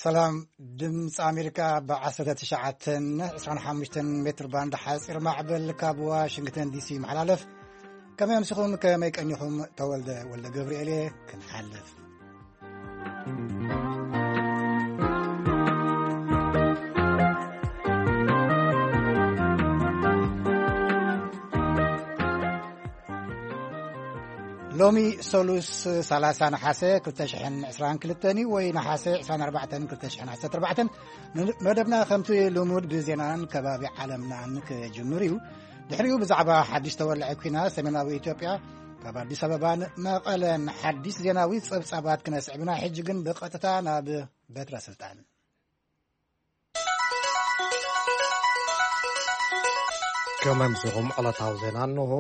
ሰላም። ድምፂ ኣሜሪካ ብ19 25 ሜትር ባንድ ሓፂር ማዕበል ካብ ዋሽንግተን ዲሲ ይመሓላለፍ። ከመይ ኣምሲኹም፣ ከመይ ቀኒኹም? ተወልደ ወልደ ገብርኤል እየ። ክንሓልፍ። ሎሚ ሰሉስ 30 ነሓሰ 2022 እዩ፣ ወይ ነሓሰ 24 2014። መደብና ከምቲ ልሙድ ብዜናን ከባቢ ዓለምናን ክጅምር እዩ። ድሕሪኡ ብዛዕባ ሓድሽ ተወላዒ ኲናት ሰሜናዊ ኢትዮጵያ ካብ ኣዲስ ኣበባን መቐለን ሓድሽ ዜናዊ ጸብጻባት ክነስዕብና፣ ሕጂ ግን ብቐጥታ ናብ በትረ ስልጣን። ከመምስኹም ዕለታዊ ዜና እንሆ።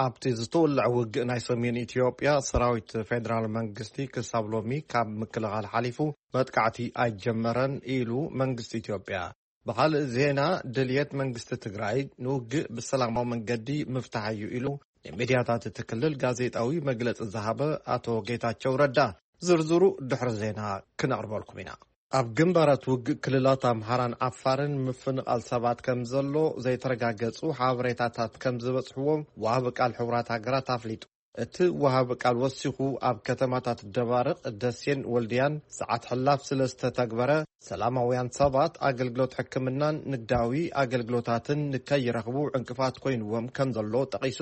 ኣብቲ ዝተወልዐ ውግእ ናይ ሰሜን ኢትዮጵያ፣ ሰራዊት ፌደራል መንግስቲ ክሳብ ሎሚ ካብ ምክልኻል ሓሊፉ መጥቃዕቲ ኣይጀመረን ኢሉ መንግስቲ ኢትዮጵያ። ብኻልእ ዜና፣ ድልየት መንግስቲ ትግራይ ንውግእ ብሰላማዊ መንገዲ ምፍታሕ እዩ ኢሉ ንሚድያታት እቲ ክልል ጋዜጣዊ መግለጺ ዝሃበ ኣቶ ጌታቸው ረዳ። ዝርዝሩ ድሕሪ ዜና ክነቕርበልኩም ኢና። ኣብ ግንባራት ውግእ ክልላት ኣምሓራን ዓፋርን ምፍንቓል ሰባት ከም ዘሎ ዘይተረጋገጹ ሓበሬታታት ከም ዝበጽሕዎም ወሃቢ ቃል ሕቡራት ሃገራት ኣፍሊጡ። እቲ ወሃቢ ቃል ወሲኹ፣ ኣብ ከተማታት ደባርቕ፣ ደሴን ወልድያን ሰዓት ሕላፍ ስለ ዝተተግበረ፣ ሰላማውያን ሰባት ኣገልግሎት ሕክምናን ንግዳዊ ኣገልግሎታትን ንከይረኽቡ ዕንቅፋት ኮይንዎም ከም ዘሎ ጠቒሱ።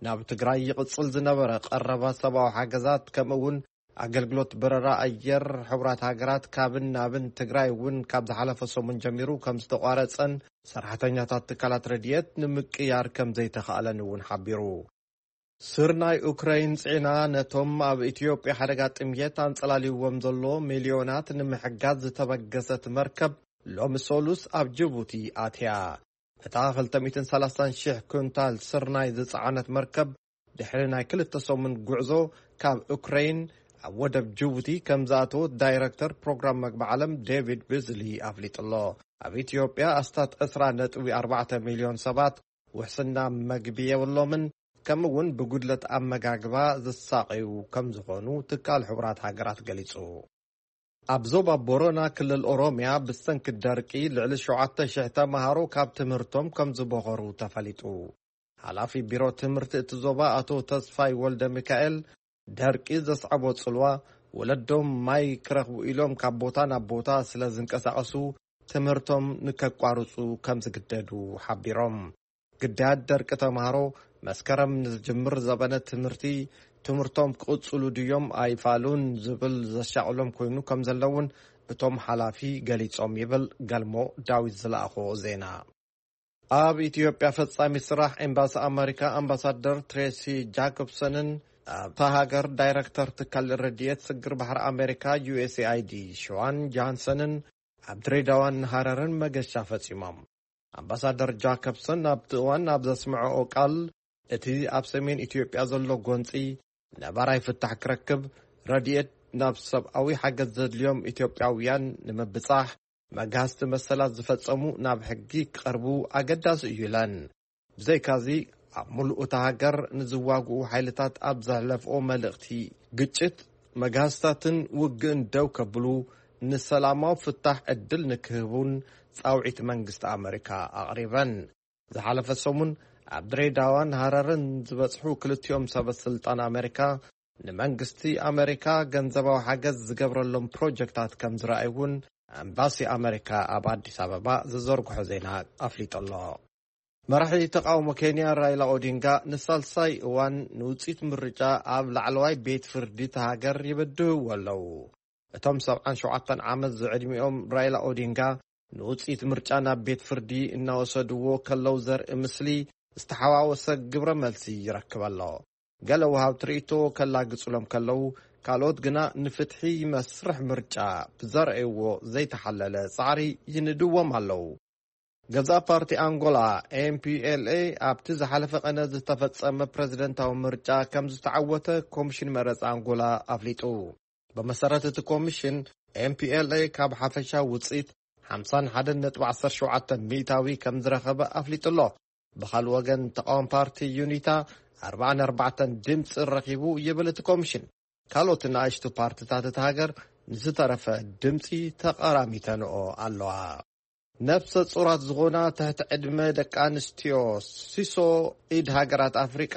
ናብ ትግራይ ይቕጽል ዝነበረ ቀረባ ሰብኣዊ ሓገዛት፣ ከምኡ እውን ኣገልግሎት በረራ ኣየር ሕቡራት ሃገራት ካብን ናብን ትግራይ እውን ካብ ዝሓለፈ ሰሙን ጀሚሩ ከም ዝተቋረጸን ሰራሕተኛታት ትካላት ረድኤት ንምቅያር ከም ዘይተኻእለን እውን ሓቢሩ። ስርናይ ኡክራይን ጽዒና ነቶም ኣብ ኢትዮጵያ ሓደጋ ጥምየት ኣንጸላልይዎም ዘሎ ሚልዮናት ንምሕጋዝ ዝተበገሰት መርከብ ሎሚ ሰሉስ ኣብ ጅቡቲ ኣትያ። እታ 230,000 ኩንታል ስርናይ ዝጸዓነት መርከብ፣ ድሕሪ ናይ ክልተ ሰሙን ጉዕዞ ካብ ኡክራይን ኣብ ወደብ ጅቡቲ ከም ዝኣተወት ዳይረክተር ፕሮግራም መግቢ ዓለም ዴቪድ ብዝሊ ኣፍሊጡ ኣሎ። ኣብ ኢትዮጵያ ኣስታት 20.4 ሚልዮን ሰባት ውሕስና መግቢ የብሎምን፣ ከምኡ እውን ብጉድለት ኣመጋግባ ዝሳቐዩ ከም ዝኾኑ ትካል ሕቡራት ሃገራት ገሊጹ። ኣብ ዞባ ቦረና ክልል ኦሮሚያ ብሰንኪ ደርቂ ልዕሊ 7,000 ተማሃሮ ካብ ትምህርቶም ከም ዝበኸሩ ተፈሊጡ። ሓላፊ ቢሮ ትምህርቲ እቲ ዞባ ኣቶ ተስፋይ ወልደ ሚካኤል፣ ደርቂ ዘስዓቦ ጽልዋ፣ ወለዶም ማይ ክረኽቡ ኢሎም ካብ ቦታ ናብ ቦታ ስለ ዝንቀሳቐሱ ትምህርቶም ንከቋርጹ ከም ዝግደዱ ሓቢሮም። ግዳያት ደርቂ ተማሃሮ መስከረም ንዝጅምር ዘበነ ትምህርቲ ትምህርቶም ክቕጽሉ ድዮም ኣይፋሉን ዝብል ዘሻቕሎም ኮይኑ ከም ዘለውን እቶም ሓላፊ ገሊጾም ይብል ገልሞ ዳዊት ዝለኣኾ ዜና። ኣብ ኢትዮጵያ ፈጻሚ ስራሕ ኤምባሲ ኣመሪካ ኣምባሳደር ትሬሲ ጃኮብሰንን ኣብታ ሃገር ዳይረክተር ትካል ረድኤት ስግር ባሕሪ ኣመሪካ ዩ ኤስ ኤ ኣይ ዲ ሽዋን ጃንሰንን ኣብ ድሬዳዋን ሃረርን መገሻ ፈጺሞም። ኣምባሳደር ጃኮብሰን ኣብቲ እዋን ኣብ ዘስምዐኦ ቃል፣ እቲ ኣብ ሰሜን ኢትዮጵያ ዘሎ ጎንጺ ነባራይ ፍታሕ ክረክብ፣ ረድኤት ናብ ሰብኣዊ ሓገዝ ዘድልዮም ኢትዮጵያውያን ንምብጻሕ፣ መጋህዝቲ መሰላት ዝፈጸሙ ናብ ሕጊ ክቐርቡ ኣገዳሲ እዩ ኢለን። ብዘይካዚ፣ ኣብ ምሉእ እታ ሃገር ንዝዋግኡ ሓይልታት ኣብ ዘሕለፍኦ መልእኽቲ፣ ግጭት፣ መጋህዝታትን ውግእን ደው ከብሉ፣ ንሰላማዊ ፍታሕ ዕድል ንክህቡን ጻውዒት መንግስቲ ኣመሪካ ኣቕሪበን። ዝሓለፈ ሰሙን ኣብ ድሬዳዋን ሃረርን ዝበጽሑ ክልቲኦም ሰበ ስልጣን ኣመሪካ፣ ንመንግስቲ ኣመሪካ ገንዘባዊ ሓገዝ ዝገብረሎም ፕሮጀክታት ከም ዝረኣዩ እውን ኤምባሲ ኣመሪካ ኣብ ኣዲስ ኣበባ ዝዘርግሖ ዜና ኣፍሊጡ ኣሎ። መራሒ ተቃውሞ ኬንያ ራይላ ኦዲንጋ ንሳልሳይ እዋን ንውጽኢት ምርጫ ኣብ ላዕለዋይ ቤት ፍርዲ እታ ሃገር ይብድህዎ ኣለዉ። እቶም 77 ዓመት ዝዕድሚኦም ራይላ ኦዲንጋ ንውጽኢት ምርጫ ናብ ቤት ፍርዲ እናወሰድዎ ከለዉ ዘርኢ ምስሊ ዝተሓዋወሰ ግብረ መልሲ ይረክብ ኣሎ። ገለ ወሃብቲ ርእይቶ ከላግጹሎም ከለዉ፣ ካልኦት ግና ንፍትሒ መስርሕ ምርጫ ብዘርእይዎ ዘይተሓለለ ጻዕሪ ይንድዎም ኣለዉ። ገዛእ ፓርቲ ኣንጎላ ኤም ፒ ኤል ኤ ኣብቲ ዝሓለፈ ቀነ ዝተፈጸመ ፕረዚደንታዊ ምርጫ ከም ዝተዓወተ ኮሚሽን መረጻ ኣንጎላ ኣፍሊጡ። ብመሰረት እቲ ኮሚሽን፣ ኤም ፒ ኤል ኤ ካብ ሓፈሻ ውጽኢት 51.17% ከም ዝረኸበ ኣፍሊጡ ኣሎ። ብኻልእ ወገን፣ ተቃዋሚ ፓርቲ ዩኒታ 44 ድምፂ ረኺቡ ይብል እቲ ኮሚሽን። ካልኦት ንኣሽቱ ፓርቲታት እታ ሃገር ንዝተረፈ ድምጺ ተቐራሚተንኦ ኣለዋ። ነፍሰ ጹራት ዝኾና ትሕቲ ዕድመ ደቂ ኣንስትዮ ሲሶ ኢድ ሃገራት ኣፍሪቃ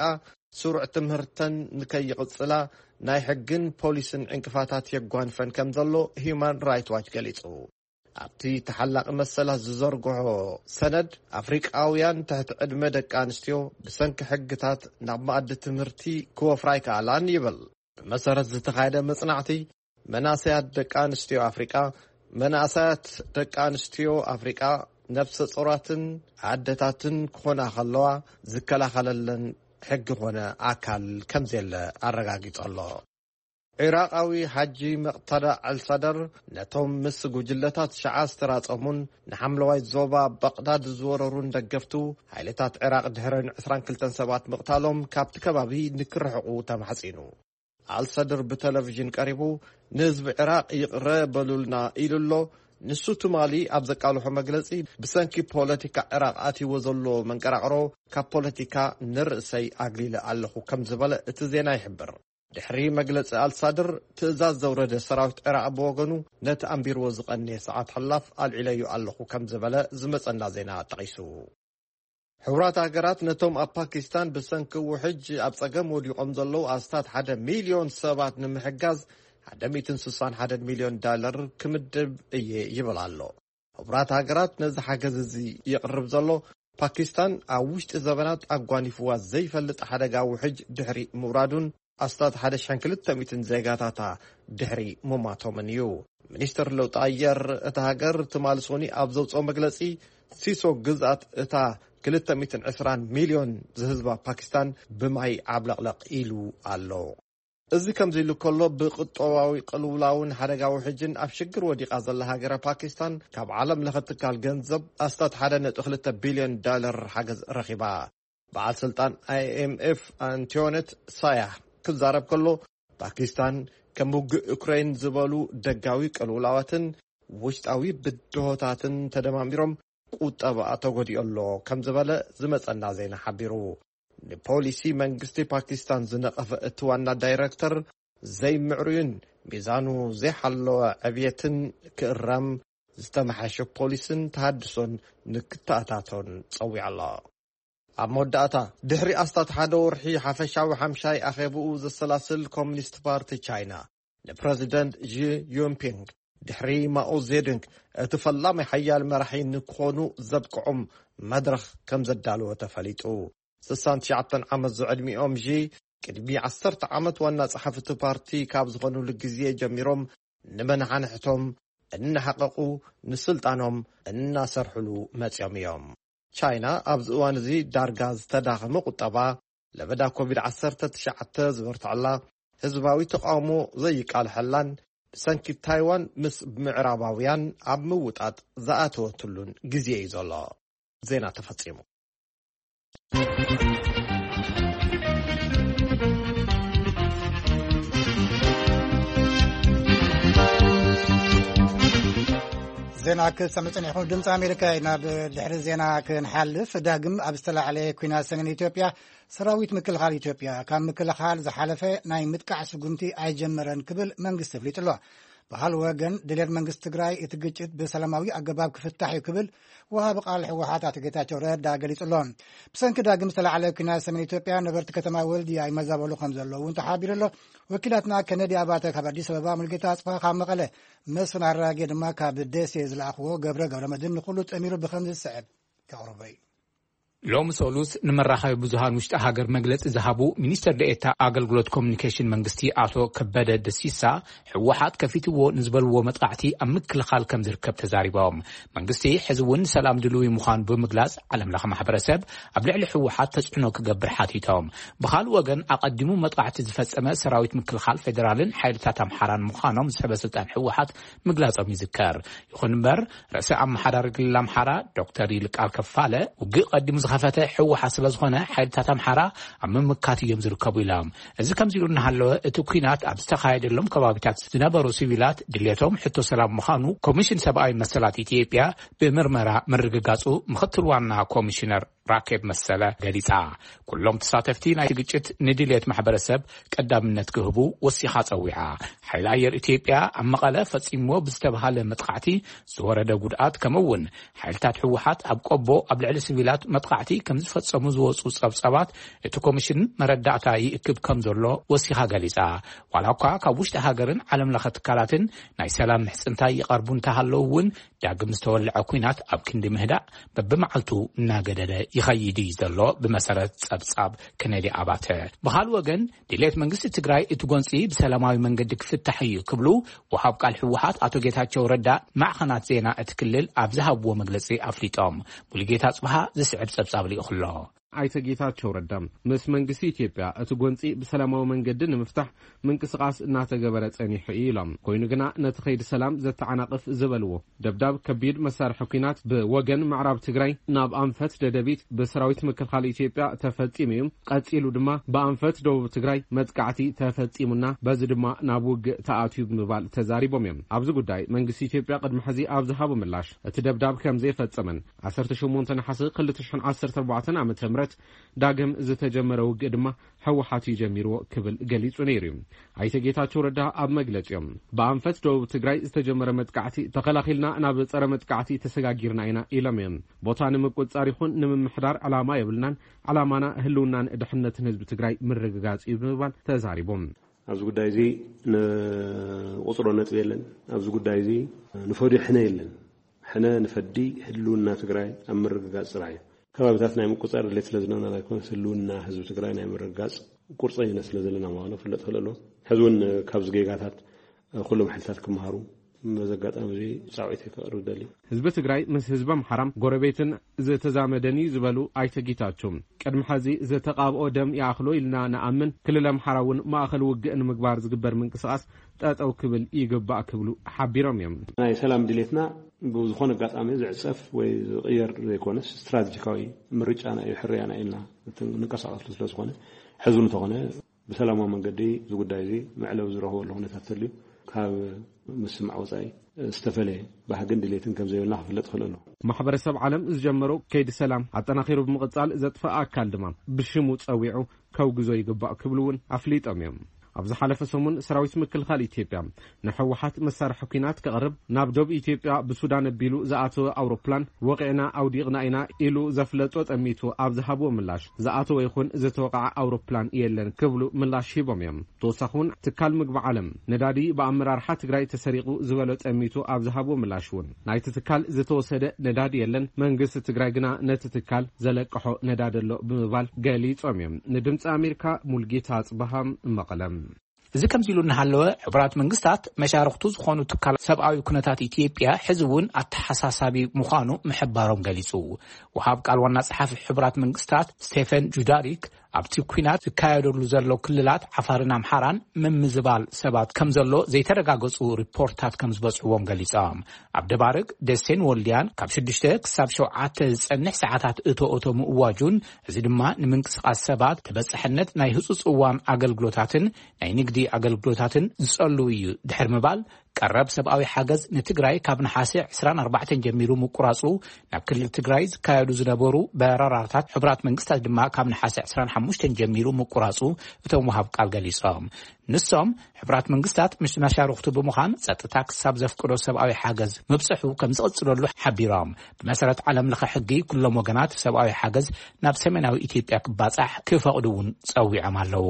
ስሩዕ ትምህርተን ንከይቕጽላ ናይ ሕግን ፖሊስን ዕንቅፋታት የጓንፈን ከም ዘሎ ሂዩማን ራይት ዋች ገሊጹ። ኣብቲ ተሓላቒ መሰላት ዝዘርግሖ ሰነድ፣ ኣፍሪቃውያን ትሕቲ ዕድመ ደቂ ኣንስትዮ ብሰንኪ ሕግታት ናብ መኣዲ ትምህርቲ ክወፍራ ኣይከኣላን ይብል። ብመሰረት ዝተኻየደ መጽናዕቲ፣ መናእሰያት ደቂ ኣንስትዮ ኣፍሪቃ፣ መናእሰያት ደቂ ኣንስትዮ ኣፍሪቃ ነፍሰ ጾራትን ኣደታትን ክኾና ከለዋ ዝከላኸለለን ሕጊ ኾነ ኣካል ከም ዘየለ ኣረጋጊጹ ኣሎ። ዒራቓዊ ሓጂ መቕታዳ ኣልሳደር ነቶም ምስ ጉጅለታት ሸዓ ዝተራጸሙን ንሓምለዋይ ዞባ በቕዳድ ዝወረሩን ደገፍቱ፣ ሓይልታት ዒራቕ ድሕረን ዕስራን ክልተን ሰባት ምቕታሎም ካብቲ ከባቢ ንክርሕቑ ተማሕጺኑ። ኣልሳደር ብቴሌቪዥን ቀሪቡ፣ ንህዝቢ ዒራቕ ይቕረ በሉልና ኢሉ ኣሎ። ንሱ ትማሊ ኣብ ዘቃልሖ መግለጺ፣ ብሰንኪ ፖለቲካ ዒራቕ ኣትይዎ ዘሎ መንቀራቕሮ ካብ ፖለቲካ ንርእሰይ ኣግሊለ ኣለኹ ከም ዝበለ እቲ ዜና ይሕብር። ድሕሪ መግለጺ ኣልሳድር፣ ትእዛዝ ዘውረደ ሰራዊት ዒራቕ ብወገኑ፣ ነቲ ኣንቢርዎ ዝቐነየ ሰዓት ሕላፍ ኣልዒለዮ ኣለኹ ከም ዝበለ ዝመጸና ዜና ጠቒሱ። ሕቡራት ሃገራት ነቶም ኣብ ፓኪስታን ብሰንኪ ውሕጅ ኣብ ጸገም ወዲቖም ዘለዉ ኣስታት ሓደ ሚልዮን ሰባት ንምሕጋዝ ሓደ ሚእትን ስሳን ሓደን ሚልዮን ዳለር ክምድብ እየ ይብል ኣሎ። ሕቡራት ሃገራት ነዚ ሓገዝ እዚ የቕርብ ዘሎ፣ ፓኪስታን ኣብ ውሽጢ ዘበናት ኣጓኒፍዋ ዘይፈልጥ ሓደጋ ውሕጅ ድሕሪ ምውራዱን ኣስታት ሓደ ሽሕን ክልተ ሚእትን ዜጋታታ ድሕሪ ምማቶምን እዩ። ሚኒስትር ለውጢ ኣየር እታ ሃገር ትማሊ ሶኒ ኣብ ዘውፅኦ መግለፂ፣ ሲሶ ግዝኣት እታ ክልተ ሚእትን ዕስራን ሚልዮን ዝህዝባ ፓኪስታን ብማይ ዓብለቕለቕ ኢሉ ኣሎ። እዚ ከምዚ ኢሉ ከሎ፣ ብቁጠባዊ ቅልውላውን ሓደጋ ውሕጅን ኣብ ሽግር ወዲቓ ዘላ ሃገረ ፓኪስታን፣ ካብ ዓለም ለኸ ትካል ገንዘብ ኣስታት ሓደ ነጥቢ ክልተ ቢልዮን ዳለር ሓገዝ ረኺባ። በዓል ስልጣን ኣይ ኤም ኤፍ ኣንቶኔት ሳያ ክዛረብ ከሎ፣ ፓኪስታን ከም ውግእ ዩክሬን ዝበሉ ደጋዊ ቅልውላዋትን ውሽጣዊ ብድሆታትን ተደማሚሮም ቁጠባኣ ተጎዲኡ ኣሎ ከም ዝበለ ዝመጸና ዜና ሓቢሩ። ንፖሊሲ መንግስቲ ፓኪስታን ዝነቐፈ እቲ ዋና ዳይረክተር፣ ዘይምዕሩይን ሚዛኑ ዘይሓለወ ዕብየትን ክእረም፣ ዝተመሓሸ ፖሊስን ተሃድሶን ንክተኣታቶን ጸዊዑ ኣሎ። ኣብ መወዳእታ፣ ድሕሪ ኣስታት ሓደ ወርሒ ሓፈሻዊ ሓምሻይ ኣኼብኡ ዘሰላስል ኮሚኒስት ፓርቲ ቻይና፣ ንፕረዚደንት ዢ ዩንፒንግ፣ ድሕሪ ማኦ ዜዱንግ እቲ ፈላሚ ሓያል መራሒ ንክኾኑ ዘብቅዖም መድረኽ ከም ዘዳለወ ተፈሊጡ። ስሳን ትሽዓተን ዓመት ዝዕድሚኦም ዢ፣ ቅድሚ ዓሰርተ ዓመት ዋና ጸሓፊ እቲ ፓርቲ ካብ ዝኾኑሉ ግዜ ጀሚሮም፣ ንመናሓንሕቶም እናሓቐቑ፣ ንስልጣኖም እናሰርሕሉ መጺኦም እዮም። ቻይና ኣብዚ እዋን እዚ ዳርጋ ዝተዳኸመ ቁጠባ፣ ለበዳ ኮቪድ ዓሰርተ ትሽዓተ ዝበርትዐላ፣ ህዝባዊ ተቓውሞ ዘይቃልሐላን፣ ብሰንኪ ታይዋን ምስ ምዕራባውያን ኣብ ምውጣጥ ዝኣተወትሉን ግዜ እዩ ዘሎ። ዜና ተፈጺሙ። ዜና ክትሰምዑ ጸኒሕኩም፣ ድምፂ ኣሜሪካ እዩ። ናብ ድሕሪ ዜና ክንሓልፍ፣ ዳግም ኣብ ዝተላዕለ ኲናት ሰሜን ኢትዮጵያ፣ ሰራዊት ምክልኻል ኢትዮጵያ ካብ ምክልኻል ዝሓለፈ ናይ ምጥቃዕ ስጉምቲ ኣይጀመረን ክብል መንግስቲ ኣፍሊጡ ኣሎ። ብኻልእ ወገን፣ ድሌት መንግስቲ ትግራይ እቲ ግጭት ብሰላማዊ ኣገባብ ክፍታሕ እዩ ክብል ወሃቢ ቃል ህወሓት ኣቶ ጌታቸው ረዳ ገሊጹ ኣሎ። ብሰንኪ ዳግም ዝተላዕለ ኲናት ሰሜን ኢትዮጵያ፣ ነበርቲ ከተማ ወልድያ ይመዛበሉ ከም ዘለዉ እውን ተሓቢሩ ኣሎ። ወኪላትና ከነዲ ኣባተ ካብ ኣዲስ ኣበባ፣ ሙልጌታ ኣጽብሃ ካብ መቐለ፣ መስፍን ኣራጌ ድማ ካብ ደሴ ዝለኣኽዎ ገብረ ገብረ መድህን ንኹሉ ጠሚሩ ብኸምዚ ዝስዕብ ከቕርቦ እዩ። ሎሚ ሰሉስ ንመራኸቢ ብዙሃን ውሽጢ ሃገር መግለጺ ዝሃቡ ሚኒስትር ደኤታ ኣገልግሎት ኮሚኒኬሽን መንግስቲ ኣቶ ከበደ ደሲሳ፣ ህወሓት ከፊትዎ ንዝበልዎ መጥቃዕቲ ኣብ ምክልኻል ከም ዝርከብ ተዛሪቦም። መንግስቲ ሕዚ እውን ሰላም ድልዊ ምዃኑ ብምግላጽ፣ ዓለም ለኸ ማሕበረሰብ ኣብ ልዕሊ ህወሓት ተጽዕኖ ክገብር ሓቲቶም። ብኻልእ ወገን፣ ኣቐዲሙ መጥቃዕቲ ዝፈጸመ ሰራዊት ምክልኻል ፌዴራልን ሓይልታት ኣምሓራን ምዃኖም ሰበ ስልጣን ህወሓት ምግላጾም ይዝከር። ይኹን እምበር፣ ርእሰ ኣመሓዳሪ ክልል ኣምሓራ ዶክተር ይልቃል ከፋለ፣ ውግእ ቀዲሙ ዝኸፈተ ህወሓት ስለ ዝኾነ፣ ሓይልታት ኣምሓራ ኣብ ምምካት እዮም ዝርከቡ ኢሎም። እዚ ከምዚ ኢሉ እናሃለወ፣ እቲ ኲናት ኣብ ዝተኻየደሎም ከባቢታት ዝነበሩ ሲቪላት ድሌቶም ሕቶ ሰላም ምዃኑ ኮሚሽን ሰብኣዊ መሰላት ኢትዮጵያ ብምርመራ ምርግጋጹ ምኽትል ዋና ኮሚሽነር ራኬብ መሰለ ገሊጻ። ኩሎም ተሳተፍቲ ናይቲ ግጭት ንድልየት ማሕበረሰብ ቀዳምነት ክህቡ ወሲኻ ጸዊዓ። ሓይሊ ኣየር ኢትዮጵያ ኣብ መቐለ ፈጺምዎ ብዝተባሃለ መጥቃዕቲ ዝወረደ ጉድኣት፣ ከምኡ እውን ሓይልታት ህወሓት ኣብ ቆቦ ኣብ ልዕሊ ሲቪላት መጥቃዕቲ ከም ዝፈጸሙ ዝወጹ ጸብጻባት፣ እቲ ኮሚሽን መረዳእታ ይእክብ ከም ዘሎ ወሲኻ ገሊጻ። ዋላ እኳ ካብ ውሽጢ ሃገርን ዓለም ለኸ ትካላትን ናይ ሰላም ምሕጽንታ ይቐርቡ እንተሃለዉ እውን፣ ዳግም ዝተወልዐ ኲናት ኣብ ክንዲ ምህዳእ በብመዓልቱ እናገደደ ይኸይድ እዩ ዘሎ፣ ብመሰረት ጸብጻብ ከነዲ ኣባተ። ብኻልእ ወገን፣ ድሌት መንግስቲ ትግራይ እቲ ጎንፂ ብሰላማዊ መንገዲ ክፍታሕ እዩ ክብሉ ወሃብ ቃል ህወሓት ኣቶ ጌታቸው ረዳ ማዕኸናት ዜና እቲ ክልል ኣብ ዝሃብዎ መግለፂ ኣፍሊጦም። ሙሉጌታ ጽብሃ ዝስዕብ ጸብጻብ ልኢኹ ኣሎ። ኣይተ ጌታቸው ረዳ፣ ምስ መንግስቲ ኢትዮጵያ እቲ ጎንፂ ብሰላማዊ መንገዲ ንምፍታሕ ምንቅስቃስ እናተገበረ ጸኒሑ እዩ ኢሎም። ኮይኑ ግና፣ ነቲ ከይዲ ሰላም ዘተዓናቕፍ ዝበልዎ ደብዳብ ከቢድ መሳርሒ ኲናት ብወገን ምዕራብ ትግራይ ናብ ኣንፈት ደደቢት ብሰራዊት ምክልኻል ኢትዮጵያ ተፈጺሙ እዩ። ቀጺሉ ድማ ብኣንፈት ደቡብ ትግራይ መጥቃዕቲ ተፈጺሙና፣ በዚ ድማ ናብ ውግእ ተኣትዩ ብምባል ተዛሪቦም እዮም። ኣብዚ ጉዳይ መንግስቲ ኢትዮጵያ ቅድሚ ሕዚ ኣብ ዝሃቦ ምላሽ፣ እቲ ደብዳብ ከም ዘይፈጸመን ዓሰርተ ሸሞንተ ነሓሰ ክልተ ሽሕን ዓሰርተ ኣርባዕተን ዓመተ ምህረት ዳግም ዝተጀመረ ውግእ ድማ ህወሓት እዩ ጀሚርዎ ክብል ገሊጹ ነይሩ እዩ። ኣይተ ጌታቸው ረዳ ኣብ መግለጺኦም፣ ብኣንፈት ደቡብ ትግራይ ዝተጀመረ መጥቃዕቲ ተኸላኺልና ናብ ጸረ መጥቃዕቲ ተሰጋጊርና ኢና ኢሎም እዮም። ቦታ ንምቁጽጻር ይኹን ንምምሕዳር ዕላማ የብልናን። ዕላማና ህልውናን ድሕነትን ህዝቢ ትግራይ ምርግጋጽ እዩ ብምባል ተዛሪቦም። ኣብዚ ጉዳይ እዚ ንቁጽሮ ነጥቢ የለን። ኣብዚ ጉዳይ እዚ ንፈድዮ ሕነ የለን። ሕነ ንፈዲ ህልውና ትግራይ ኣብ ምርግጋጽ ጥራሕ እዩ። ከባቢታት ናይ ምቁጽጻር ድሌት ስለ ዝነበረና ኣይኮነስ፣ ህልውና ህዝቢ ትግራይ ናይ ምርግጋጽ ቁርፀኝነት ስለ ዘለና ምዃኑ ክፍለጥ ክእል ኣለዎ። ሕዚ እውን ካብዚ ጌጋታት ኩሎም ሓይልታት ክመሃሩ በዚ ኣጋጣሚ እዚ ጻውዒተይ ከቕርብ እደሊ። ህዝቢ ትግራይ ምስ ህዝቢ ኣምሓራ ጎረቤትን ዝተዛመደን እዩ ዝበሉ ኣይተ ጌታቸው፣ ቅድሚ ሕዚ ዝተቓብኦ ደም ይኣኽሎ ኢልና ንኣምን። ክልል ኣምሓራ እውን ማእኸል ውግእ ንምግባር ዝግበር ምንቅስቓስ ጠጠው ክብል ይግባእ ክብሉ ሓቢሮም እዮም። ናይ ሰላም ድሌትና ብዝኾነ ኣጋጣሚ ዝዕጸፍ ወይ ዝቕየር ዘይኮነስ፣ ስትራቴጂካዊ ምርጫና እዩ፣ ሕርያና ኢልና እቲ ንንቀሳቐስሉ ስለ ዝኾነ፣ ሕዚ እውን እንተኾነ ብሰላማዊ መንገዲ እዚ ጉዳይ እዚ መዕለቢ ዝረኽበሉ ኩነታት ተልዩ፣ ካብ ምስማዕ ወጻኢ ዝተፈለየ ባህግን ድሌትን ከም ዘይብልና ክፍለጥ ይኽእል ኣሎ። ማሕበረሰብ ዓለም ዝጀመሮ ከይዲ ሰላም ኣጠናኺሩ ብምቕጻል፣ ዘጥፈኣ ኣካል ድማ ብሽሙ ጸዊዑ ከውግዞ ይግባእ ክብሉ እውን ኣፍሊጦም እዮም። ኣብ ዝሓለፈ ሰሙን፣ ሰራዊት ምክልኻል ኢትዮጵያ ንህወሓት መሳርሒ ኲናት ከቕርብ ናብ ዶብ ኢትዮጵያ ብሱዳን ኣቢሉ ዝኣተወ ኣውሮፕላን ወቒዕና ኣውዲቕና ኢና ኢሉ ዘፍለጦ ጠሚቱ ኣብ ዝሃብዎ ምላሽ፣ ዝኣተወ ይኹን ዝተወቕዐ ኣውሮፕላን የለን ክብሉ ምላሽ ሂቦም እዮም። ተወሳኺ እውን፣ ትካል ምግቢ ዓለም ነዳዲ ብኣመራርሓ ትግራይ ተሰሪቑ ዝበሎ ጠሚቱ ኣብ ዝሃብዎ ምላሽ እውን፣ ናይቲ ትካል ዝተወሰደ ነዳዲ የለን፣ መንግስቲ ትግራይ ግና ነቲ ትካል ዘለቅሖ ነዳዲ ኣሎ ብምባል ገሊጾም እዮም። ንድምፂ ኣሜሪካ፣ ሙልጌታ ኣጽበሃ፣ መቐለ። እዚ ከምዚ ኢሉ እናሃለወ፣ ሕቡራት መንግስታት መሻርኽቱ ዝኾኑ ትካላት ሰብኣዊ ኩነታት ኢትዮጵያ ሕዚ እውን ኣተሓሳሳቢ ምዃኑ ምሕባሮም ገሊጹ። ወሃብ ቃል ዋና ጸሓፊ ሕቡራት መንግስታት ስቴፈን ጁዳሪክ፣ ኣብቲ ኲናት ዝካየደሉ ዘሎ ክልላት ዓፋርን ኣምሓራን ምምዝባል ሰባት ከም ዘሎ ዘይተረጋገጹ ሪፖርታት ከም ዝበጽሕዎም ገሊጾም። ኣብ ደባርግ፣ ደሴን ወልድያን ካብ ሽዱሽተ ክሳብ ሸውዓተ ዝጸንሕ ሰዓታት እቶ እቶ ምእዋጁን፣ እዚ ድማ ንምንቅስቓስ ሰባት፣ ተበጻሕነት ናይ ህጹጽ እዋን ኣገልግሎታትን ናይ ንግዲ ኣገልግሎታትን ዝጸሉ እዩ ድሕሪ ምባል፣ ቀረብ ሰብኣዊ ሓገዝ ንትግራይ ካብ ነሓሰ ዕስራን ኣርባዕተን ጀሚሩ ምቁራጹ፣ ናብ ክልል ትግራይ ዝካየዱ ዝነበሩ በረራታት ሕቡራት መንግስታት ድማ ካብ ነሓሰ ዕስራን ሓሙሽተን ጀሚሩ ምቁራጹ እቶም ወሃብ ቃል ገሊጾም። ንሶም፣ ሕቡራት መንግስታት ምስ መሻርኽቱ ብምዃን ጸጥታ ክሳብ ዘፍቅዶ ሰብኣዊ ሓገዝ ምብጽሑ ከም ዝቕጽለሉ ሓቢሮም። ብመሰረት ዓለም ለኸ ሕጊ፣ ኩሎም ወገናት ሰብኣዊ ሓገዝ ናብ ሰሜናዊ ኢትዮጵያ ክባጻሕ ክፈቕዱ እውን ጸዊዖም ኣለዉ።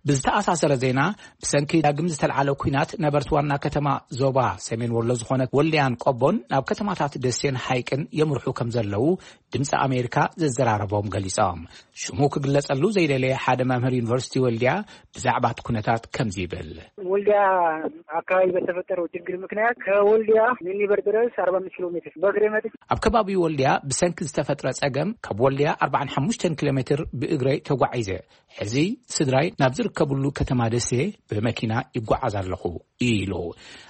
ብዝተኣሳሰረ ዜና፣ ብሰንኪ ዳግም ዝተልዓለ ኲናት፣ ነበርቲ ዋና ከተማ ዞባ ሰሜን ወሎ ዝኾነት ወልድያን ቆቦን ናብ ከተማታት ደሴን ሓይቅን የምርሑ ከም ዘለዉ ድምፂ ኣሜሪካ ዘዘራረቦም ገሊጾም። ሽሙ ክግለጸሉ ዘይደለየ ሓደ መምህር ዩኒቨርሲቲ ወልድያ ብዛዕባ እቲ ኩነታት ከምዚ ይብል። ወልዲያ አካባቢ በተፈጠረው ችግር ምክንያት ከወልዲያ ሚኒበር ድረስ አርባ አምስት ኪሎ ሜትር በእግሬ መጥቼ። ኣብ ከባቢ ወልዲያ ብሰንኪ ዝተፈጥረ ጸገም፣ ካብ ወልዲያ ኣርባዓን ሓሙሽተን ኪሎ ሜትር ብእግረይ ተጓዒዘ። ሕዚ ስድራይ ናብ ዝርከብሉ ከተማ ደሴ ብመኪና ይጓዓዝ ኣለኹ ኢሉ።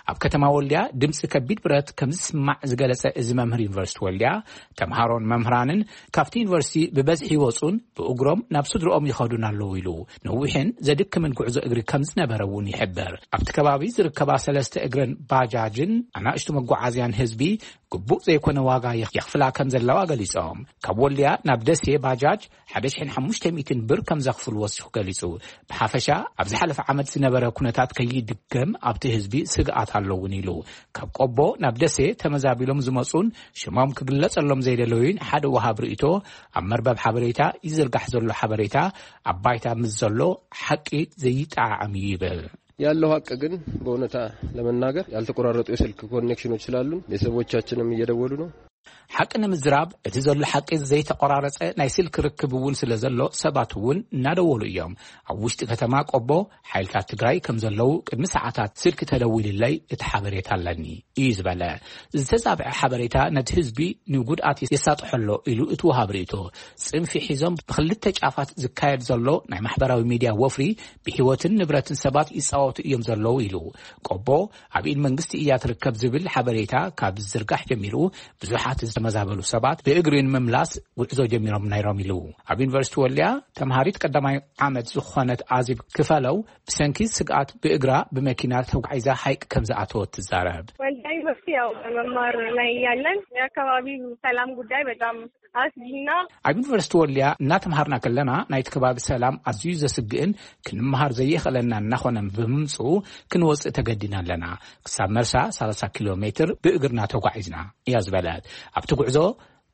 ኣብ ከተማ ወልዲያ ድምፂ ከቢድ ብረት ከም ዝስማዕ ዝገለጸ እዚ መምህር ዩኒቨርሲቲ ወልዲያ፣ ተምሃሮን መምህራንን ካብቲ ዩኒቨርሲቲ ብበዝሒ ይወጹን ብእግሮም ናብ ስድርኦም ይኸዱን ኣለዉ ኢሉ። ነዊሕን ዘድክምን ጉዕዞ እግሪ ከም ዝነበረ እውን ይሕብር። ኣብቲ ከባቢ ዝርከባ ሰለስተ እግረን ባጃጅን ኣናእሽቱ መጓዓዝያን ህዝቢ ግቡእ ዘይኮነ ዋጋ የኽ- የኽፍላ ከም ዘለዋ ገሊጾም። ካብ ወልድያ ናብ ደሴ ባጃጅ ሓደ ሽሕን ሓሙሽተ ሚእትን ብር ከም ዘኽፍል ወሲኹ ገሊጹ። ብሓፈሻ ኣብ ዝሓለፈ ዓመት ዝነበረ ኩነታት ከይድገም ኣብቲ ህዝቢ ስግኣት ኣለውን ኢሉ። ካብ ቆቦ ናብ ደሴ ተመዛቢሎም ዝመጹን ሽሞም ክግለጸሎም ዘይደለዩን ሓደ ወሃብ ርእይቶ ኣብ መርበብ ሓበሬታ ይዝርጋሕ ዘሎ ሓበሬታ ኣብ ባይታ ምስ ዘሎ ሓቂ ዘይጠዓዓም እዩ ይብል። ያለው ሀቅ ግን በእውነታ ለመናገር ያልተቆራረጡ የስልክ ኮኔክሽኖች ስላሉን ቤተሰቦቻችንም እየደወሉ ነው። ሓቂ ንምዝራብ እቲ ዘሎ ሓቂ ዘይተቆራረጸ ናይ ስልክ ርክብ እውን ስለ ዘሎ ሰባት እውን እናደወሉ እዮም። ኣብ ውሽጢ ከተማ ቆቦ ሓይልታት ትግራይ ከም ዘለዉ ቅድሚ ሰዓታት ስልክ ተደዊልለይ እቲ ሓበሬታ ኣለኒ እዩ ዝበለ። ዝተዛብዐ ሓበሬታ ነቲ ህዝቢ ንጉድኣት የሳጥሖ ኣሎ ኢሉ እቲ ወሃብ ርእይቶ። ጽንፊ ሒዞም ብክልተ ጫፋት ዝካየድ ዘሎ ናይ ማሕበራዊ ሚድያ ወፍሪ ብህይወትን ንብረትን ሰባት ይጻወቱ እዮም ዘለዉ ኢሉ። ቆቦ ኣብ ኢድ መንግስቲ እያ ትርከብ ዝብል ሓበሬታ ካብ ዝዝርጋሕ ጀሚሩ ብዙሓት ዝተመዛበሉ ሰባት ብእግሪ ንምምላስ ጉዕዞ ጀሚሮም ነይሮም ኢሉ። ኣብ ዩኒቨርሲቲ ወልድያ ተምሃሪት ቀዳማይ ዓመት ዝኾነት ኣዜብ ክፈለው ብሰንኪ ስግኣት ብእግራ ብመኪና ተጓዒዛ ሓይቅ ከም ዝኣተወት ትዛረብ። ወልዲያ ዩኒቨርሲቲ ያው መማር ላይ ያለን የአካባቢው ሰላም ጉዳይ በጣም አስጊና። ኣብ ዩኒቨርሲቲ ወልድያ እናተምሃርና ከለና ናይቲ ከባቢ ሰላም ኣዝዩ ዘስግእን ክንምሃር ዘየኽእለና እናኾነ ብምምፅኡ ክንወፅእ ተገዲና ኣለና። ክሳብ መርሳ ሰላሳ ኪሎ ሜትር ብእግርና ተጓዒዝና እያ ዝበለት። ኣብቲ ጉዕዞ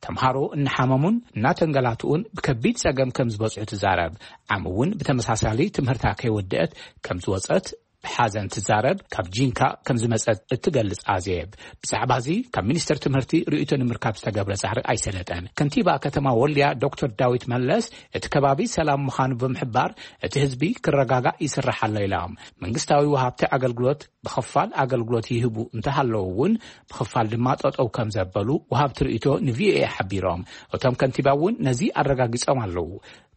ተምሃሮ እናሓመሙን እናተንገላትኡን ብከቢድ ጸገም ከም ዝበጽሑ ትዛረብ። ዓም እውን ብተመሳሳሊ ትምህርታ ከይወደአት ከም ዝወጸት ብሓዘን ትዛረብ። ካብ ጂንካ ከም ዝመጸት እትገልጽ ኣዜብ ብዛዕባ እዚ ካብ ሚኒስትር ትምህርቲ ርእይቶ ንምርካብ ዝተገብረ ጻዕሪ ኣይሰለጠን። ከንቲባ ከተማ ወልድያ ዶክተር ዳዊት መለስ እቲ ከባቢ ሰላም ምዃኑ ብምሕባር እቲ ህዝቢ ክረጋጋእ ይስራሕ ኣሎ ኢሎም። መንግስታዊ ወሃብቲ ኣገልግሎት ብኽፋል ኣገልግሎት ይህቡ እንተሃለዉ እውን ብኽፋል ድማ ጠጠው ከም ዘበሉ ወሃብቲ ርእይቶ ንቪኦኤ ሓቢሮም። እቶም ከንቲባ እውን ነዚ ኣረጋጊጾም ኣለዉ።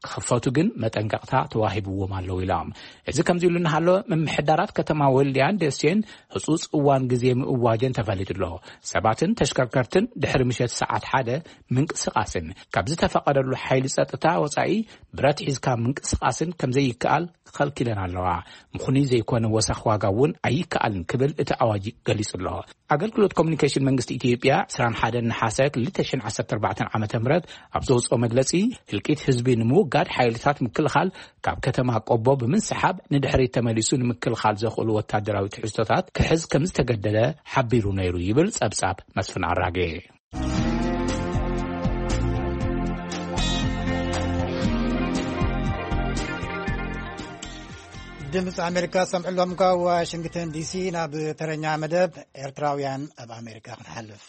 ክኽፈቱ ግን መጠንቀቕታ ተዋሂብዎም ኣለዉ ኢሎም። እዚ ከምዚ ኢሉ እናሃሎ ምምሕዳራት ከተማ ወልድያን ደሴን ህጹጽ እዋን ግዜ ምእዋጀን ተፈሊጡ ኣሎ። ሰባትን ተሽከርከርትን ድሕሪ ምሸት ሰዓት ሓደ ምንቅስቓስን ካብ ዝተፈቐደሉ ሓይሊ ጸጥታ ወጻኢ ብረት ሒዝካ ምንቅስቓስን ከም ዘይከኣል ከልኪለን ኣለዋ። ምኹኒ ዘይኮነ ወሰኽ ዋጋ እውን ኣይከኣልን ክብል እቲ ኣዋጅ ገሊጹ ኣሎ። ኣገልግሎት ኮሚኒኬሽን መንግስቲ ኢትዮጵያ ዕስራን ሓደን ነሓሰ ክልተ ሽሕን ዓሰርተ ኣርባዕተን ዓመተ ምህረት ኣብ ዘውፅኦ መግለፂ ህልቂት ህዝቢ ንምውጋድ ሓይልታት ምክልኻል ካብ ከተማ ቆቦ ብምንስሓብ ንድሕሪት ተመሊሱ ንምክልኻል ዘኽእሉ ወታደራዊ ትሕዝቶታት ክሕዝ ከም ዝተገደደ ሓቢሩ ነይሩ ይብል ፀብፃብ መስፍን ኣራጌ። ድምፂ ኣሜሪካ ሰምዕሎም ካብ ዋሽንግተን ዲሲ። ናብ ተረኛ መደብ ኤርትራውያን ኣብ ኣሜሪካ ክንሓልፍ።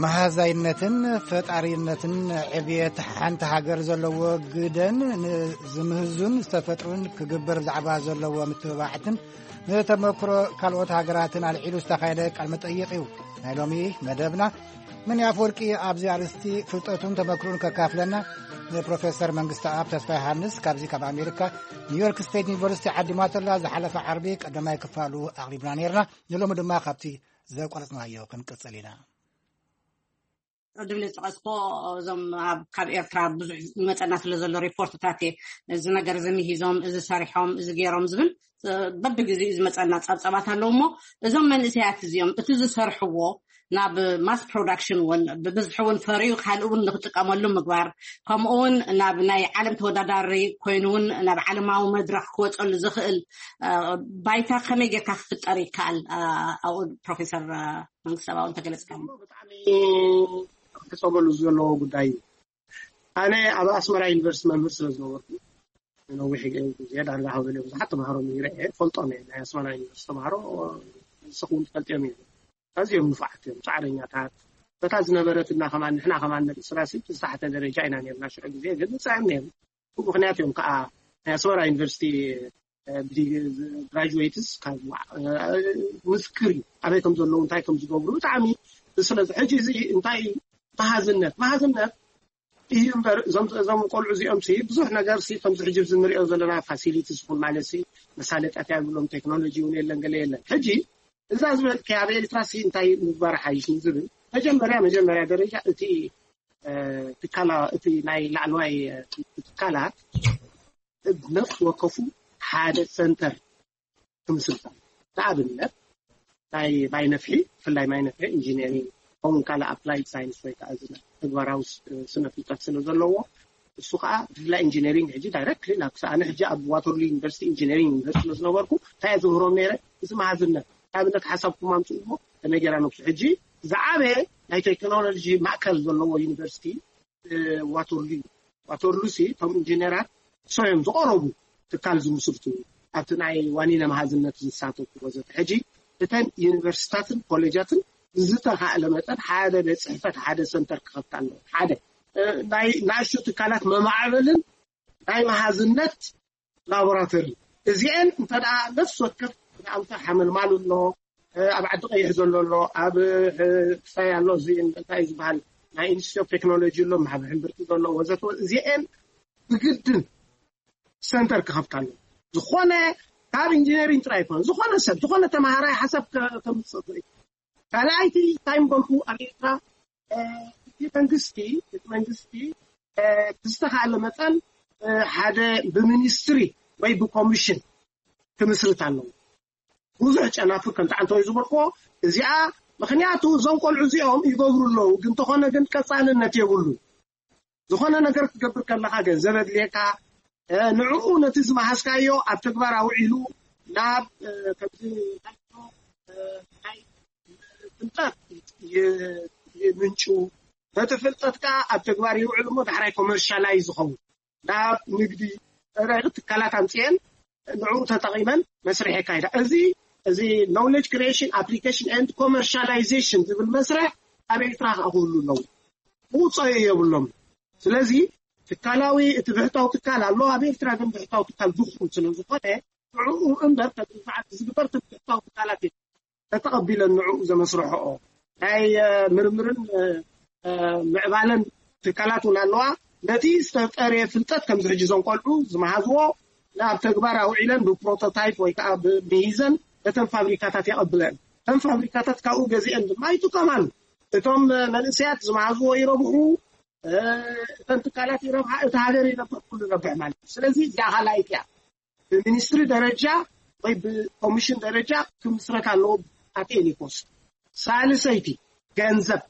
መሃዛይነትን ፈጣሪነትን ዕብየት ሓንቲ ሃገር ዘለዎ ግደን ንዝምህዙን ዝተፈጥሩን ክግበር ብዛዕባ ዘለዎ ምትብባዕትን ንተመክሮ ካልኦት ሃገራትን ኣልዒሉ ዝተኻየደ ቃል መጠይቕ እዩ ናይ ሎሚ መደብና። ምን ኣፈወርቂ ኣብዚ ኣርእስቲ ፍልጠቱን ተመክሮን ከካፍለና ንፕሮፌሰር መንግስቲ ኣብ ተስፋ ዮሃንስ ካብዚ ካብ ኣሜሪካ ኒውዮርክ ስቴት ዩኒቨርሲቲ ዓዲማተላ ዝሓለፈ ዓርቢ ቀዳማይ ክፋሉ ኣቕሪብና ነርና። ንሎሚ ድማ ካብቲ ዘቋረጽናዮ ክንቅጽል ኢና። ቅድም ዝጠቐስኮ እዞም ኣብ ካብ ኤርትራ ብዙሕ ዝመፀና ስለ ዘሎ ሪፖርትታት እየ እዚ ነገር እዚ ምሂዞም እዚ ሰሪሖም እዚ ገይሮም ዝብል በብግዜኡ ዝመፀና ፀብፀባት ኣለዉ እሞ እዞም መንእሰያት እዚኦም እቲ ዝሰርሕዎ ናብ ማስ ፕሮዳክሽን እውን ብብዝሒ እውን ፈርዩ ካልእ እውን ንክጥቀመሉ ምግባር ከምኡ እውን ናብ ናይ ዓለም ተወዳዳሪ ኮይኑ እውን ናብ ዓለማዊ መድረክ ክወፀሉ ዝኽእል ባይታ ከመይ ጌርካ ክፍጠር ይከኣል? ኣብኡ ፕሮፌሰር መንግስቲ ሰብኣዊ እንተገለፅካ። ብጣዕሚ ክፀመሉ ዘለዎ ጉዳይ እዩ። ኣነ ኣብ ኣስመራ ዩኒቨርሲቲ መምህር ስለ ዝነበርኩ ነዊሕ ግዜ ዳርጋ ሃበለ ብዙሓት ተምሃሮ ምሂረ እየ ፈልጦም እየ ናይ ኣስመራ ዩኒቨርሲቲ ተምሃሮ ንስኹም ትፈልጥዮም እዮም። ኣዝዮም ንፉዓት እዮም ፃዕረኛታት። በታ ዝነበረትና ከማን ንሕና ከማን ነርእስና ሲ ዝተሓተ ደረጃ ኢና ነርና ሽዑ ግዜ ግን ንፅዕም ነይሩ። ምክንያት እዮም ከዓ ናይ ኣስመራ ዩኒቨርሲቲ ግራጁዌትስ ካብ ምስክር እዩ ኣበይ ከም ዘለዉ እንታይ ከም ዝገብሩ ብጣዕሚ። ስለዚ ሕጂ እዚ እንታይ መሃዝነት መሃዝነት እዩ እምበር እዞም እዞም ቆልዑ እዚኦም ሲ ብዙሕ ነገር ሲ ከምዚ ሕጂ እዚ ንሪኦ ዘለና ፋሲሊቲ ዝኹን ማለት ሲ መሳለጥያት ያብሎም ቴክኖሎጂ እውን የለን ገለ የለን። ሕጂ እዛ ዝበልክያ ኣብ ኤርትራ ሲ እንታይ ምግባር ሓይሽ ንዝብል መጀመርያ መጀመርያ ደረጃ እቲ ትካላ እቲ ናይ ላዕለዋይ ትካላት ነፍሲ ወከፉ ሓደ ሰንተር ክምስርታ። ንኣብነት ናይ ማይ ነፍሒ፣ ብፍላይ ማይ ነፍሒ ኢንጂነሪንግ፣ ከምኡ ካልእ ኣፕላይድ ሳይንስ ወይ ከዓ እዚ ተግባራዊ ስነ ፍልጠት ስለ ዘለዎ፣ እሱ ከዓ ብፍላይ ኢንጂነሪንግ ሕጂ ዳይረክትሊ ናብ ክሳዕ፣ ኣነ ሕጂ ኣብ ዋተርሉ ዩኒቨርሲቲ ኢንጂነሪንግ ይምህር ስለ ዝነበርኩ እንታይ እየ ዝምህሮም ነይረ? እዚ መሃዝነት፣ ንኣብነት ሓሳብኩም ኣምፅኡ እሞ ተነገራ ነብሱ። ሕጂ ዝዓበየ ናይ ቴክኖሎጂ ማእከል ዘለዎ ዩኒቨርሲቲ ዋተርሉ። ዋተርሉ ሲ እቶም ኢንጂነራት ሰዮም ዝቐረቡ ትካል ዝምስርቱ፣ ኣብቲ ናይ ዋኒነ መሃዝነት ዝሳተፉ ወዘተ። ሕጂ እተን ዩኒቨርሲታትን ኮሌጃትን ብዝተኻእለ መጠን ሓደ ቤት ፅሕፈት፣ ሓደ ሰንተር ክኸፍታ ኣለዎ። ሓደ ናይ ናእሽቱ ትካላት መማዕበልን ናይ መሃዝነት ላቦራቶሪ። እዚአን እንተ ደኣ ነፍሲ ወከፍ ንኣብነት ሓመልማል ኣሎ፣ ኣብ ዓዲ ቀይሕ ዘሎ ኣሎ፣ ኣብ ክሳይ ኣሎ፣ እዚ እንታይ ዝበሃል ናይ ኢንስቲትዩት ኦፍ ቴክኖሎጂ ኣሎ፣ ኣብ ሕምብርቲ ዘሎ ወዘተ። እዚአን ብግድን ሰንተር ክኸፍታ ኣለዎ። ዝኾነ ካብ ኢንጂነሪንግ ጥራይ ይኮነ፣ ዝኾነ ሰብ፣ ዝኾነ ተማሃራይ ሓሳብ ከምፅእ ይኽእል። ካልኣይቲ እንታይ ምበልኩ፣ ኣብ ኤርትራ እቲ መንግስቲ እቲ መንግስቲ ብዝተኻእለ መጠን ሓደ ብሚኒስትሪ ወይ ብኮሚሽን ክምስርት ኣለዎ። ብዙሕ ጨናፍር ከም ተዓንተወይ ዝበልክዎ እዚኣ፣ ምክንያቱ እዞም ቆልዑ እዚኦም ይገብሩ ኣለዉ፣ ግን እንተኾነ ግን ቀፃልነት የብሉ። ዝኾነ ነገር ክትገብር ከለኻ ገንዘብ ኣድልየካ፣ ንዕኡ ነቲ ዝመሃዝካዮ ኣብ ተግባር ኣውዒሉ ናብ ከምዚ ናይ ፍልጠት ምንጩ፣ ነቲ ፍልጠት ከዓ ኣብ ተግባር ይውዕል እሞ ዳሕራይ ኮመርሻላይዝ ዝኸውን ናብ ንግዲ ትካላት ኣምፅኤን ንዕኡ ተጠቒመን መስርሕ የካይዳ። እዚ እዚ knowledge creation, application and commercialization ዝብል መስርሕ ኣብ ኤርትራ ከዓ ክህሉ ኣለዎ። ምውፀኦ የብሎም። ስለዚ ትካላዊ እቲ ብሕታዊ ትካል ኣሎ ኣብ ኤርትራ፣ ግን ብሕታዊ ትካል ድኹም ስለ ዝኾነ ንዕኡ እምበር ተግባር ዝግበር ብሕታዊ ትካላት ተተቐቢለን ንዕኡ ዘመስርሕኦ ናይ ምርምርን ምዕባለን ትካላት እውን ኣለዋ። ነቲ ዝተጠርየ ፍልጠት ከምዚ ሕጂ እዞም ቆልዑ ዝመሃዝዎ ናብ ተግባር ኣውዒለን ብፕሮቶታይፕ ወይ ከዓ ብሚሂዘን ነተን ፋብሪካታት የቐብለን። እተን ፋብሪካታት ካብኡ ገዚአን ድማ ይጥቀማሉ። እቶም መንእሰያት ዝመሃዝዎ ይረብሑ፣ እተን ትካላት ይረብሓ፣ እቲ ሃገር ይረብሕ፣ ኩሉ ይረብሕ ማለት እዩ። ስለዚ እዚኣ ካልኣይቲ እያ። ብሚኒስትሪ ደረጃ ወይ ብኮሚሽን ደረጃ ክምስረት ኣለዎ። ኣቴኒኮስ ሳልሰይቲ ገንዘብ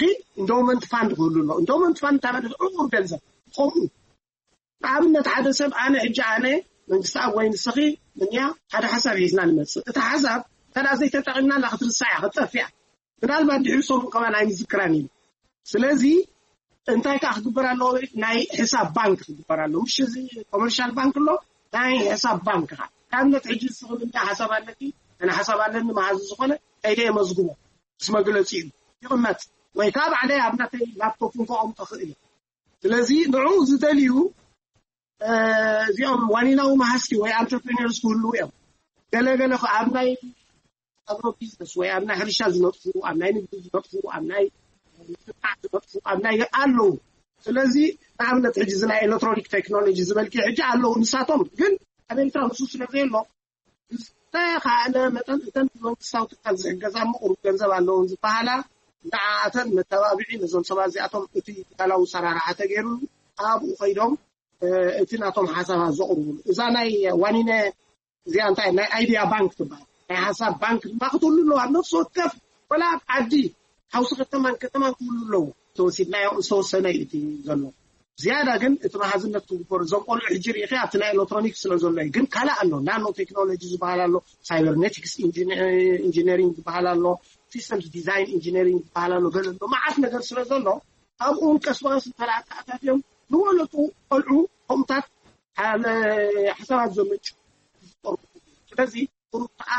ኪ ኢንዶመንት ፋንድ ክህሉ ኣሎ። ኢንዶመንት ፋንድ ታበለ ዕቁር ገንዘብ ከምኡ ንኣብነት ሓደ ሰብ ኣነ ሕጂ ኣነ መንግስቲ ኣብ ወይ ንስኺ ምንያ ሓደ ሓሳብ ሒዝና ንመፅእ። እቲ ሓሳብ እንተ ዘይተጠቒምና ላ ክትርሳ እያ ክትጠፍ እያ። ምናልባት ድሕሪ ሰሙን ከማን ኣይንዝክራን እዩ። ስለዚ እንታይ ከዓ ክግበር ኣለዎ? ናይ ሕሳብ ባንክ ክግበር ኣለዎ። ምሽ እዚ ኮመርሻል ባንክ ኣሎ፣ ናይ ሕሳብ ባንክ ከዓ ንኣብነት ሕጂ ንስኺ ምንያ ሓሳብ ኣለኪ፣ ኣነ ሓሳብ ኣለኒ መሃዚ ዝኾነ ከይደ የመዝግቦ ምስ መግለፂ እዩ ይቕመጥ። ወይ ከዓ ባዕለይ ኣብ ናተይ ላፕቶፕ ከቐምጦ ክእል እየ። ስለዚ ንዑ ዝደልዩ እዚኦም ዋኒናዊ መሃዝቲ ወይ ኣንተርፕሪነርስ ክህልዉ እዮም። ገለገለ ኣብ ናይ ኣግሮ ቢዝነስ ወይ ኣብ ናይ ሕርሻ ዝነጥፉ፣ ኣብ ናይ ንግዲ ዝነጥፉ፣ ኣብ ናይ ምትብባዕ ዝነጥፉ፣ ኣብ ናይ ኣለዉ። ስለዚ ንኣብነት ሕጂ እዚ ናይ ኤሌክትሮኒክ ቴክኖሎጂ ዝበልኪ ሕጂ ኣለዉ ንሳቶም፣ ግን ኣብ ኤርትራ ንሱ ስለ ዘየሎ ዝተኻእለ መጠን እተን ብመንግስታዊ ትካል ዝሕገዛ ምቑሩብ ገንዘብ ኣለውን ዝበሃላ ንዓኣተን መተባብዒ ነዞም ሰባት እዚኣቶም እቲ ትካላዊ ሰራርሓ ተገይሩ ኣብኡ ከይዶም እቲ ናቶም ሓሳባት ዘቕርቡሉ እዛ ናይ ዋኒነ እዚኣ እንታይ ናይ ኣይዲያ ባንክ ትበሃል ናይ ሓሳብ ባንክ ድማ ክትህሉ ኣለዋ። ኣብ ነፍሲ ወከፍ ወላ ኣብ ዓዲ ሓውሲ ከተማን ከተማን ክህሉ ኣለዎ። ተወሲድናዮ ዝተወሰነ እዩ እቲ ዘሎ። ዝያዳ ግን እቲ መሃዝነት ክግበሩ እዞም ቆልዑ ሕጂ ርኢኺ ኣብቲ ናይ ኤሌክትሮኒክስ ስለ ዘሎ እዩ። ግን ካልእ ኣሎ ናኖ ቴክኖሎጂ ዝበሃል ኣሎ፣ ሳይበርኔቲክስ ኢንጂነሪንግ ዝበሃል ኣሎ፣ ሲስተምስ ዲዛይን ኢንጂነሪንግ ዝበሃል ኣሎ፣ ገለ ኣሎ መዓት ነገር ስለ ዘሎ ኣብኡ እውን ቀስ ብቐስ እንተለኣተኣታት እዮም ዝበለፁ ቆልዑ ከምኡታት ሓሳባት ዘመንጭ ዝጠርቁ። ስለዚ ቁሩብ ከዓ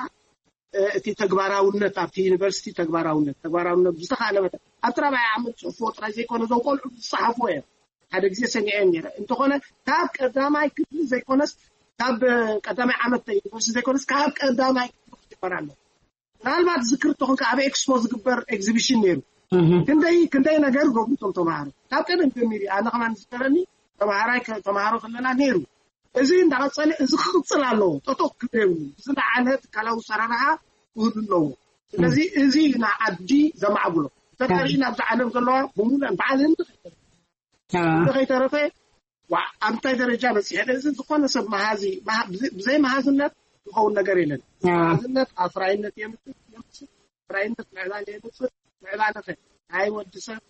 እቲ ተግባራውነት ኣብቲ ዩኒቨርሲቲ ተግባራውነት ተግባራውነት ብዝተኻእለ መጠን ኣብቲ ራብዓይ ዓመት ፅሑፍዎ ጥራይ ዘይኮነ እዞም ቆልዑ ዝፀሓፍዎ እዮም። ሓደ ግዜ ሰሚዐ ነረ እንተኾነ ካብ ቀዳማይ ክፍሊ ዘይኮነስ ካብ ቀዳማይ ዓመት ዩኒቨርሲቲ ዘይኮነስ ካብ ቀዳማይ ክፍሊ ክጅመር ኣሎ። ምናልባት ዝክር ተኾንካ ኣብ ኤክስፖ ዝግበር ኤግዚቢሽን ነይሩ። ክንደይ ክንደይ ነገር ገብሩ እቶም ተምሃሮ ካብ ቀደም ጀሚሩ ኣነ ከማን ዝዝከረኒ ተምሃራይ ተምሃሮ ከለና ነይሩ። እዚ እንዳቐፀለ እዚ ክቕፅል ኣለዎ። ጠጠው ክብል የብሉ። ብዝለዓለ ትካላዊ ሰራርሓ ክህሉ ኣለዎ። ስለዚ እዚ ንዓዲ ዘማዕብሎ ተጋሪእና ኣብዚ ዓለም ዘለዋ ብሙሉአን በዓል ህንዲ ከይተረፈ ኣብ እንታይ ደረጃ በፂሐ? እዚ ዝኾነ ሰብ መሃዚ ብዘይ መሃዝነት ዝኸውን ነገር የለን። መሃዝነት ኣፍራይነት የምፅእ። ኣፍራይነት ምዕባለ የምፅእ። ምዕባለ ከ ናይ ወዲ ሰብ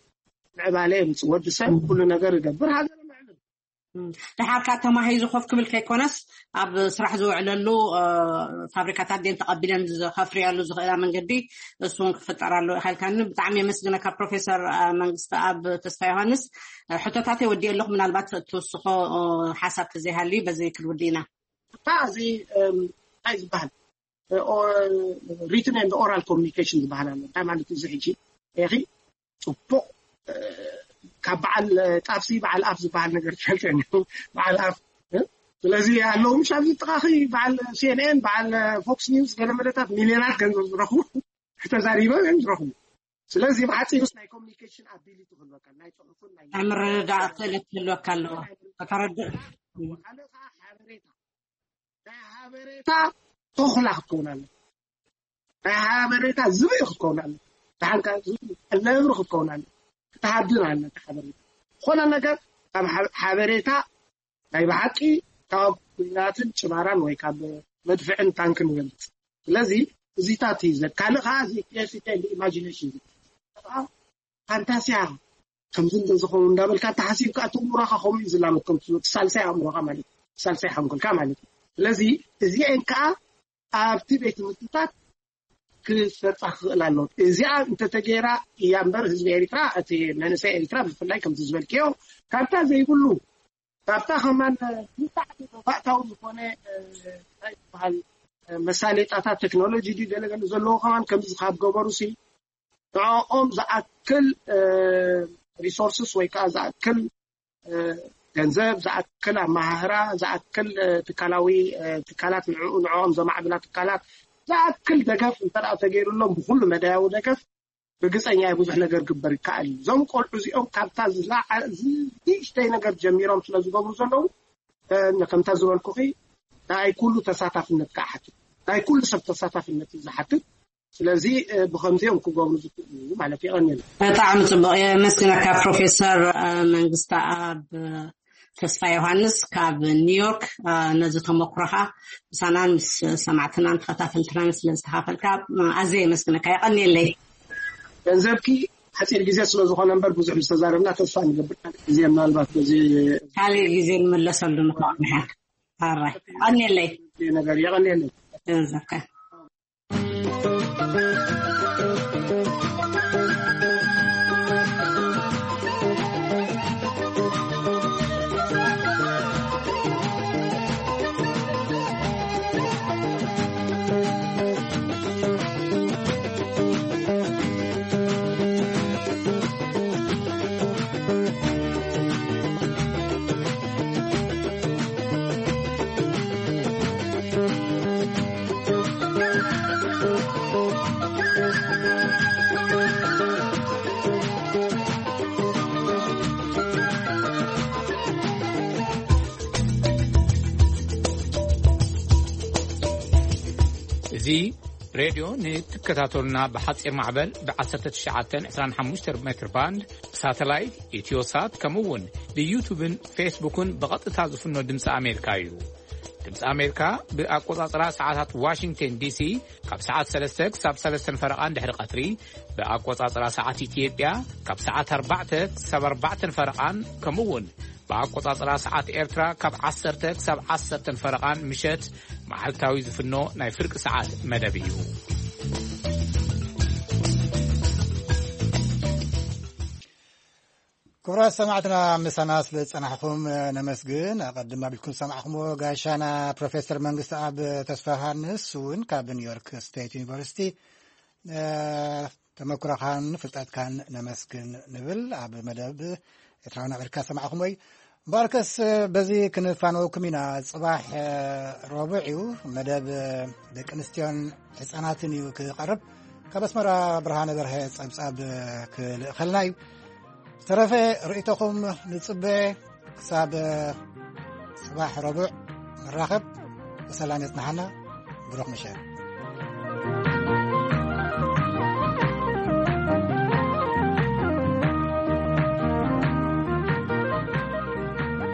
ምዕባለ የምፅእ። ወዲ ሰብ ኩሉ ነገር ይገብር፣ ሃገር ምዕብል። ድሓር ከዓ ተማሂዙ ኮፍ ክብል ከይኮነስ ኣብ ስራሕ ዝውዕለሉ ፋብሪካታት ደን ተቐቢለን ዝኸፍርያሉ ዝኽእላ መንገዲ እሱን ክፍጠር ኣሎ ኢልካኒ። ብጣዕሚ የመስግነካ ፕሮፌሰር መንግስቲ ኣብ ተስፋ ዮሃንስ። ሕቶታተይ ወዲእ ኣለኹ፣ ምናልባት ትውስኾ ሓሳብ ተዘይሃልዩ በዚ ክንውድእ ኢና። እዚ እንታይ ዝበሃል ሪትን ን ኦራል ኮሚኒኬሽን ዝበሃል ኣሎ። እንታይ ማለት እዚ? ሕጂ ኢ ጽቡቕ ካብ በዓል ጣፍሲ በዓል ኣፍ ዝበሃል ነገር ትፈልጠ በዓል ኣፍ። ስለዚ ኣለዉ ምሽ ኣብዚ ጥቃኺ በዓል ሲኤንኤን በዓል ፎክስ ኒውስ ገለመለታት ሚልዮናት ገንዘብ ዝረኽቡ ተዛሪቦም እዮም ዝረኽቡ። ስለዚ ብሓፂሩስ ናይ ኮሚኒኬሽን ኣቢሊቲ ክህልወካ ናይ ፅሑፍን ናይ ምርዳእ ክእለት ክህልወካ ኣለዎ። ከተረድእ ሓደ ከዓ ሓበሬታ ናይ ሓበሬታ ተኹላ ክትከውን ኣለ ናይ ሓበሬታ ዝብኢ ክትከውን ኣለ። ደሓንካ ነብሪ ክትከውን ኣለ። ክትሃድን ኣለ ሓበሬታ ዝኾነ ነገር ካብ ሓበሬታ ናይ ብሓቂ ካብ ኩናትን ጭባራን ወይ ካብ መድፍዕን ታንክን ይበልፅ። ስለዚ እዚታት እዩ ዘ ካልእ ከዓ እዚ ቴስቴ ኢማጂኔሽን ፋንታሲያ ከምዚ እንተዝኸውን እንዳበልካ ተሓሲብካ እቲ እምሮኻ ከምኡ እዩ ዝላመድ ከምቲ ሳልሳይ ኣእምሮኻ ማለት እዩ ሳልሳይ ሓንጎልካ ማለት እዩ። ስለዚ እዚአን ከዓ ኣብቲ ቤት ትምህርትታት ክሰጣ ክኽእል ኣለዎ። እዚኣ እንተተገይራ እያ እምበር ህዝቢ ኤሪትራ እቲ መንእሰይ ኤሪትራ ብፍላይ ከምዚ ዝበልክዮ ካብታ ዘይብሉ ካብታ ከማን ብጣዕሚ ተባእታዊ ዝኾነ እንታይ ዝበሃል መሳሌጣታት ቴክኖሎጂ ድዩ ገለገለ ዘለዎ ከማን ከምዚ ካብ ገበሩ ሲ ንዕኦም ዝኣክል ሪሶርስስ ወይ ከዓ ዝኣክል ገንዘብ ዝኣክል ኣመሃህራ ዝኣክል ትካላዊ ትካላት ንዕኡ ንዕኦም ዘማዕብላ ትካላት ዝኣክል ደገፍ እንተ ተገይሩሎም ብኩሉ መዳያዊ ደገፍ ብግፀኛ ብዙሕ ነገር ግበር ይከኣል እዩ። እዞም ቆልዑ እዚኦም ካብታ ንእሽተይ ነገር ጀሚሮም ስለ ዝገብሩ ዘለዉ ከምታ ዝበልኩኺ ናይ ኩሉ ተሳታፍነት ክሓትት ናይ ኩሉ ሰብ ተሳታፍነት እዩ ዝሓትት። ስለዚ ብከምዚኦም ክገብሩ ዝክእሉ ማለት የቀኒሉ። ብጣዕሚ ፅቡቅ የመስግነካ ፕሮፌሰር መንግስቲ ኣብ ተስፋ ዮሃንስ ካብ ኒውዮርክ ነዚ ተመክሮኻ ምሳናን ምስ ሰማዕትናን ተኸታተልትናን ስለ ዝተኻፈልካ ኣዘ የመስግነካ። የቀኒለይ። ገንዘብኪ ሓፂር ግዜ ስለዝኾነ እምበር ብዙሕ ዝተዛረብና ተስፋ ንገብር ግዜ ምናልባት በዚ ካልእ ግዜ ንመለሰሉ ንኸቕ ንሓ ኣራይ ቀኒለይ ነገር የቀኒለይ። ገንዘብካ እዚ ሬድዮ ንትከታተሉና ብሓፂር ማዕበል ብ1925 ሜትር ባንድ ብሳተላይት ኢትዮሳት ከምኡ እውን ብዩቱብን ፌስቡክን ብቐጥታ ዝፍኖ ድምፂ ኣሜሪካ እዩ። ድምፂ ኣሜሪካ ብኣቆፃፅራ ሰዓታት ዋሽንግተን ዲሲ ካብ ሰዓት ሰለስተ ክሳብ ሰለስተን ፈረቓን ድሕሪ ቀትሪ ብኣቆፃፅራ ሰዓት ኢትዮጵያ ካብ ሰዓት ኣርባዕተ ክሳብ ኣርባዕተን ፈረቓን ከምኡ እውን ብኣቆፃፅራ ሰዓት ኤርትራ ካብ ዓሰርተ ክሳብ ዓሰርተን ፈረቓን ምሸት መዓልታዊ ዝፍኖ ናይ ፍርቂ ሰዓት መደብ እዩ። ክቡራት ሰማዕትና ምሳና ስለ ዝጸናሕኹም ነመስግን። ኣቐድም ኣቢልኩም ዝሰማዕኹምዎ ጋሻና ፕሮፌሰር መንግስቲ ኣብ ተስፋ ዮሃንስ እውን ካብ ኒውዮርክ ስቴት ዩኒቨርሲቲ ተመክሮኻን ፍልጠትካን ነመስግን ንብል። ኣብ መደብ ኤርትራውያን ኣሜሪካ ዝሰማዕኹምዎ እዩ። እምበኣርከስ በዚ ክንፋነወኩም ኢና። ጽባሕ ረቡዕ እዩ፣ መደብ ደቂ ኣንስትዮን ህጻናትን እዩ ክቐርብ። ካብ ኣስመራ ብርሃነ በርሀ ጸብጻብ ክልእኸልና እዩ። ዝተረፈ ርእይቶኹም ንጽበ። ክሳብ ጽባሕ ረቡዕ ንራኸብ። ብሰላም የጽንሓና። ብሩኽ ምሸት።